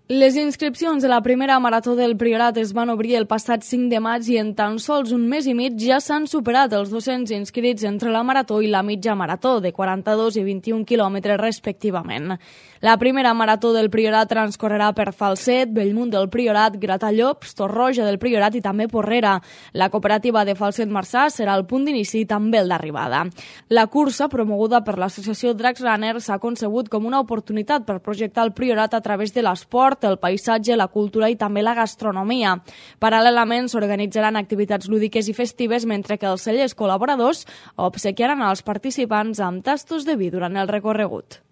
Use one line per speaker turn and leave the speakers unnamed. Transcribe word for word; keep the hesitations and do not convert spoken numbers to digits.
Les inscripcions de la primera marató del Priorat es van obrir el passat cinc de maig i en tan sols un mes i mig ja s'han superat els dos-cents inscrits entre la marató i la mitja marató, de quaranta-dos i vint-i-un quilòmetres respectivament. La primera marató del Priorat transcorrerà per Falset, Bellmunt del Priorat, Gratallops, Torroja del Priorat i també Porrera. La cooperativa de Falset-Marçà serà el punt d'inici i també el d'arribada. La cursa, promoguda per l'associació Dracs Runner, s'ha concebut com una oportunitat per projectar el Priorat a través de l'esport, el paisatge, la cultura i també la gastronomia. Paral·lelament s'organitzaran activitats lúdiques i festives, mentre que els cellers col·laboradors obsequiaran als participants amb tastos de vi durant el recorregut.